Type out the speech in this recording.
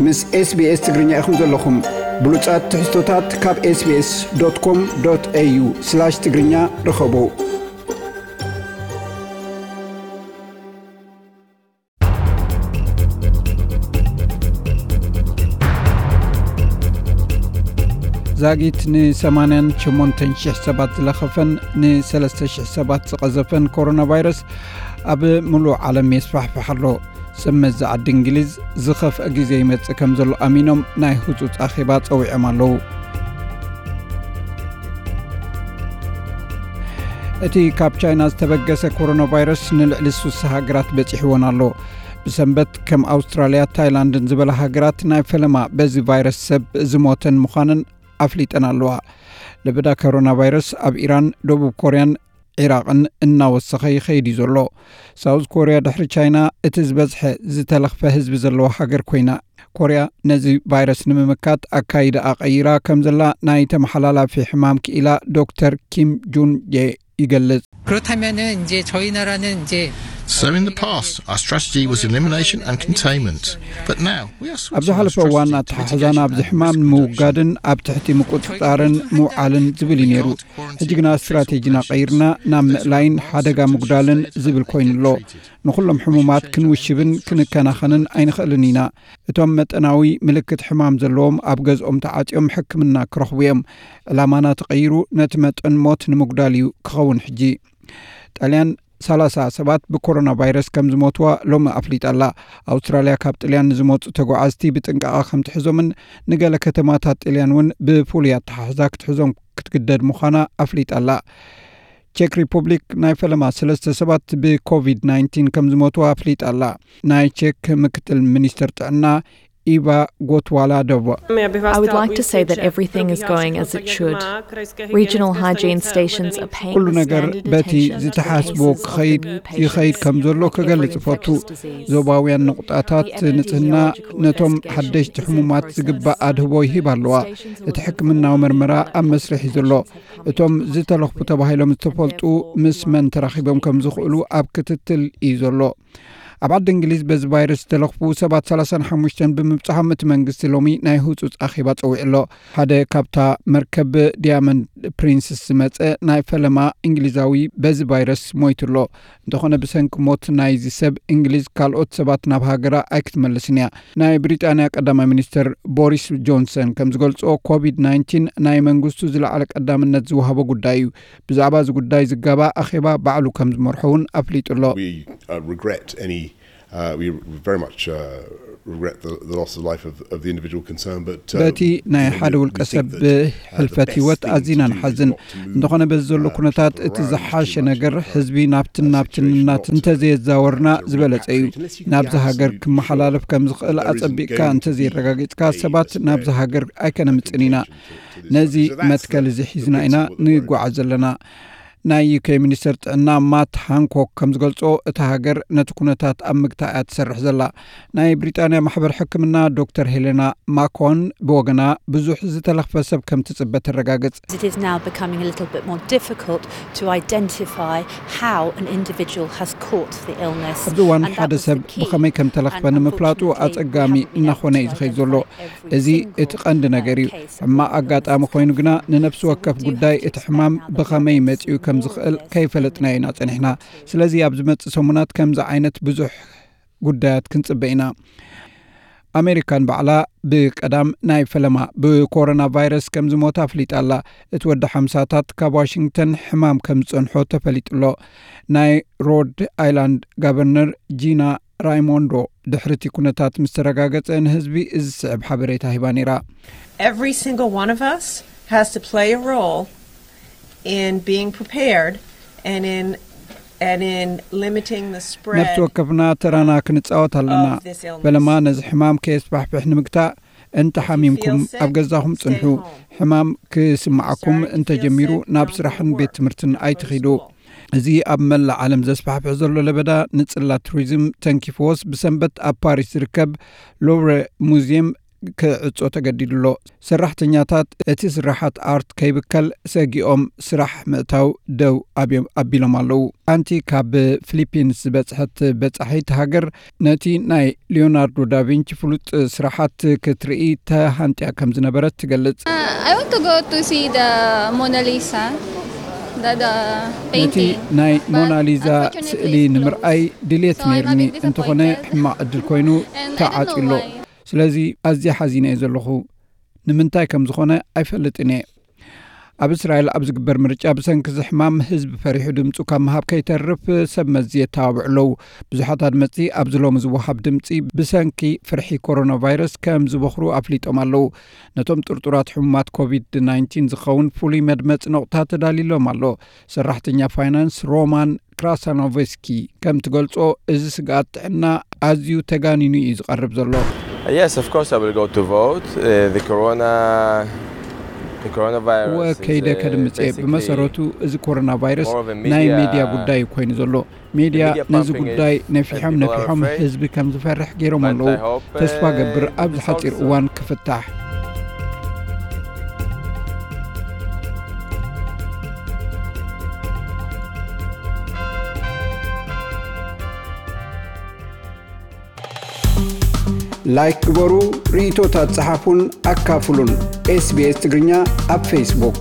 ምስ SBS ትግርኛ ኢኹም ዘለኹም። ብሉጻት ትሕዝቶታት ካብ SBS.com.au/ትግርኛ ርኸቡ። ዛጊት ን88,000 ሰባት ዝለኸፈን ን3,000 ሰባት ዝቐዘፈን ኮሮና ቫይረስ ኣብ ምሉእ ዓለም የስፋሕፍሕ ኣሎ። ሰብ መዚ ዓዲ እንግሊዝ ዝኸፍአ ግዜ ይመጽእ ከም ዘሎ ኣሚኖም ናይ ህጹጽ ኣኼባ ጸዊዖም ኣለዉ። እቲ ካብ ቻይና ዝተበገሰ ኮሮና ቫይረስ ንልዕሊ 60 ሃገራት በጺሕወን ኣሎ። ብሰንበት ከም ኣውስትራልያ፣ ታይላንድን ዝበላ ሃገራት ናይ ፈለማ በዚ ቫይረስ ሰብ ዝሞተን ምዃነን ኣፍሊጠን ኣለዋ። ለበዳ ኮሮና ቫይረስ ኣብ ኢራን፣ ደቡብ ኮርያን ዒራቕን እናወሰኸ ይኸይድ እዩ ዘሎ። ሳውዝ ኮርያ ድሕሪ ቻይና እቲ ዝበዝሐ ዝተለኽፈ ህዝቢ ዘለዋ ሃገር ኮይና፣ ኮርያ ነዚ ቫይረስ ንምምካት ኣካይዳኣ ቀይራ ከም ዘላ ናይ ተመሓላላፊ ሕማም ክኢላ ዶክተር ኪም ጁን ጄ ይገልጽ። 그렇다면은 이제 저희 나라는 이제 So in the past, our strategy was elimination and containment. But now, we are ኣብ ዝሓለፈ እዋን ኣተሓሕዛና ኣብዚ ሕማም ንምውጋድን ኣብ ትሕቲ ምቁጽጻርን ምውዓልን ዝብል እዩ ነይሩ። ሕጂ ግና ስትራቴጂና ቀይርና ናብ ምእላይን ሓደጋ ምጉዳልን ዝብል ኮይኑ ኣሎ። ንኹሎም ሕሙማት ክንውሽብን ክንከናኸንን ኣይንኽእልን ኢና። እቶም መጠናዊ ምልክት ሕማም ዘለዎም ኣብ ገዝኦም ተዓጽዮም ሕክምና ክረኽቡ እዮም። ዕላማና ተቐይሩ ነቲ መጠን ሞት ንምጉዳል እዩ ክኸውን። ሕጂ ጣልያን 30 ሰባት ብኮሮና ቫይረስ ከም ዝሞትዋ ሎሚ ኣፍሊጣ ኣላ። ኣውስትራልያ ካብ ጥልያን ንዝመፁ ተጓዓዝቲ ብጥንቃቐ ከም ትሕዞምን ንገለ ከተማታት ጥልያን እውን ብፍሉይ ኣተሓሕዛ ክትሕዞም ክትግደድ ምዃና ኣፍሊጣ ኣላ። ቼክ ሪፑብሊክ ናይ ፈለማ ሰለስተ ሰባት ብኮቪድ-19 ከም ዝሞትዋ ኣፍሊጣ ኣላ። ናይ ቼክ ምክትል ሚኒስትር ጥዕና ኢቫ ጎትዋላዶቭ I would like to say that everything is going as it should. Regional hygiene stations are paying ኩሉ the ነገር standard በቲ attention to the ዝተሓስቦ cases of the ክኸይድ new ይኸይድ patients ከም ዘሎ with every ክገልጽ እፈቱ። infectious disease. ዞባውያን ንቑጣታት ንጽህና ነቶም ሓደሽቲ ሕሙማት ዝግባእ ኣድህቦ ይህብ ኣለዋ። እቲ ሕክምናዊ መርመራ ኣብ መስርሕ እዩ ዘሎ። እቶም ዝተለኽፉ ተባሂሎም ዝተፈልጡ ምስ መን ተራኺቦም ከም ዝኽእሉ ኣብ ክትትል እዩ ዘሎ። ኣብ ዓዲ እንግሊዝ በዚ ቫይረስ ዝተለኽፉ ሰባት 35 ብምብፅሖም እቲ መንግስቲ ሎሚ ናይ ህፁፅ ኣኼባ ፀዊዑ ኣሎ። ሓደ ካብታ መርከብ ዲያመንድ ፕሪንስስ ዝመፀ ናይ ፈለማ እንግሊዛዊ በዚ ቫይረስ ሞይቱ ኣሎ። እንተኾነ ብሰንኪ ሞት ናይዚ ሰብ እንግሊዝ ካልኦት ሰባት ናብ ሃገራ ኣይክትመልስን እያ። ናይ ብሪጣንያ ቀዳማይ ሚኒስትር ቦሪስ ጆንሰን ከም ዝገልጾ ኮቪድ-19 ናይ መንግስቱ ዝለዓለ ቀዳምነት ዝወሃቦ ጉዳይ እዩ። ብዛዕባ እዚ ጉዳይ ዝጋባ ኣኼባ ባዕሉ ከም ዝመርሖ እውን ኣፍሊጡ ኣሎ። We uh, regret any. Uh, we very much uh, regret the, the loss of life of, of the individual concerned, but uh, በቲ ናይ ሓደ ውልቀ ሰብ ብሕልፈት ህይወት ኣዚና ንሓዝን። እንተኾነ በዚ ዘሎ ኩነታት እቲ ዝሓሸ ነገር ህዝቢ ናብትን ናብትን እናት እንተዘየዛወርና ዝበለጸ እዩ። ናብዚ ሃገር ክመሓላለፍ ከም ዝኽእል ኣጸቢቕካ እንተዘየረጋጊጽካ ሰባት ናብዚ ሃገር ኣይከነምጽን ኢና። ነዚ መትከል እዚ ሒዝና ኢና ንጓዓዝ ዘለና። ናይ ዩኬ ሚኒስትር ጥዕና ማት ሃንኮክ ከም ዝገልጾ እታ ሃገር ነቲ ኩነታት ኣብ ምግታእ እያ ትሰርሕ ዘላ። ናይ ብሪጣንያ ማሕበር ሕክምና ዶክተር ሄሌና ማኮን ብወገና ብዙሕ ዝተለኽፈ ሰብ ከም ትጽበ ተረጋግጽ። It is now becoming a little bit more difficult to identify how an individual has caught the illness. ኣብዚ እዋን ሓደ ሰብ ብኸመይ ከም ተለኽፈ ንምፍላጡ ኣጸጋሚ እናኾነ እዩ ዝኸይድ ዘሎ። እዚ እቲ ቀንዲ ነገር እዩ። ሕማቕ ኣጋጣሚ ኮይኑ ግና ንነፍሲ ወከፍ ጉዳይ እቲ ሕማም ብኸመይ መጺኡ ከም ዝኽእል ከይፈለጥናዮ ኢና ጸኒሕና። ስለዚ ኣብ ዝመጽእ ሰሙናት ከምዚ ዓይነት ብዙሕ ጉዳያት ክንጽበ ኢና። ኣሜሪካን ባዕላ ብቀዳም ናይ ፈለማ ብኮሮና ቫይረስ ከም ዝሞት ኣፍሊጣ ኣላ። እቲ ወዲ ሓምሳታት ካብ ዋሽንግተን ሕማም ከም ዝጸንሖ ተፈሊጡ ኣሎ። ናይ ሮድ ኣይላንድ ጋቨርነር ጂና ራይሞንዶ ድሕሪ እቲ ኩነታት ምስ ተረጋገጸ ንህዝቢ እዚ ዝስዕብ ሓበሬታ ሂባ ነይራ። Every single one of us has to play a role in being prepared and in and in limiting the spread. ነፍሲ ወከፍና ተራና ክንጻወት ኣለና። Of this illness. ፈለማ ነዚ ሕማም ከየስፋሕፍሕ ንምግታእ እንተ ሓሚምኩም ኣብ ገዛኹም ጽንሑ። ሕማም ክስምዓኩም እንተጀሚሩ ናብ ስራሕን ቤት ትምህርትን ኣይትኺዱ። እዚ ኣብ መላእ ዓለም ዘስፋሕፍሕ ዘሎ ለበዳ ንጽላት ቱሪዝም ተንኪፍዎስ ብሰንበት ኣብ ፓሪስ ዝርከብ ሎቭረ ሙዚየም ክዕጾ ተገዲዱ ኣሎ። ሰራሕተኛታት እቲ ስራሓት ኣርት ከይብከል ሰጊኦም ስራሕ ምእታው ደው ኣብዮም ኣቢሎም ኣለዉ። ኣንቲ ካብ ፊሊፒንስ ዝበጽሐት በጻሒት ሃገር ነቲ ናይ ሊዮናርዶ ዳቪንቺ ፍሉጥ ስራሓት ክትርኢ ተሃንጥያ ከም ዝነበረት ትገልጽ። I want to go to see the Mona Lisa, the, the ነቲ ናይ ሞናሊዛ ስእሊ ንምርኣይ ድሌት ነይርኒ፣ እንተኾነ ሕማቕ ዕድል ኮይኑ ተዓጽዩ ኣሎ። ስለዚ ኣዝያ ሓዚነ እየ ዘለኹ። ንምንታይ ከም ዝኾነ ኣይፈልጥን እየ። ኣብ እስራኤል ኣብ ዝግበር ምርጫ ብሰንኪ እዚ ሕማም ህዝቢ ፈሪሑ ድምፁ ካብ ምሃብ ከይተርፍ ሰብ መዚ የተባብዑ ኣለዉ። ብዙሓት ኣድመፅቲ ኣብዚ ሎሚ ዝወሃብ ድምፂ ብሰንኪ ፍርሒ ኮሮና ቫይረስ ከም ዝበኽሩ ኣፍሊጦም ኣለዉ። ነቶም ጥርጡራት ሕሙማት ኮቪድ ናይንቲን ዝኸውን ፍሉይ መድመፂ ነቑጣ ተዳሊሎም ኣሎ። ሰራሕተኛ ፋይናንስ ሮማን ክራሳኖቭስኪ ከም ትገልጾ፣ እዚ ስግኣት ጥዕና ኣዝዩ ተጋኒኑ እዩ ዝቐርብ ዘሎ። Yes, of course I will go to vote. Uh, the corona, the coronavirus. እወ፣ ከይደ ከድምጽ እየ። ብመሰረቱ እዚ ኮሮና ቫይረስ ናይ ሜድያ ጉዳይ ኮይኑ ዘሎ። ሜድያ ነዚ ጉዳይ ነፊሖም ነፊሖም ህዝቢ ከም ዝፈርሕ ገይሮም ኣለዉ። ተስፋ ገብር ኣብዚ ሓጺር እዋን ክፍታሕ። ላይክ ግበሩ፣ ርእይቶታት ጸሓፉን ኣካፍሉን። ኤስቢኤስ ትግርኛ ኣብ ፌስቡክ።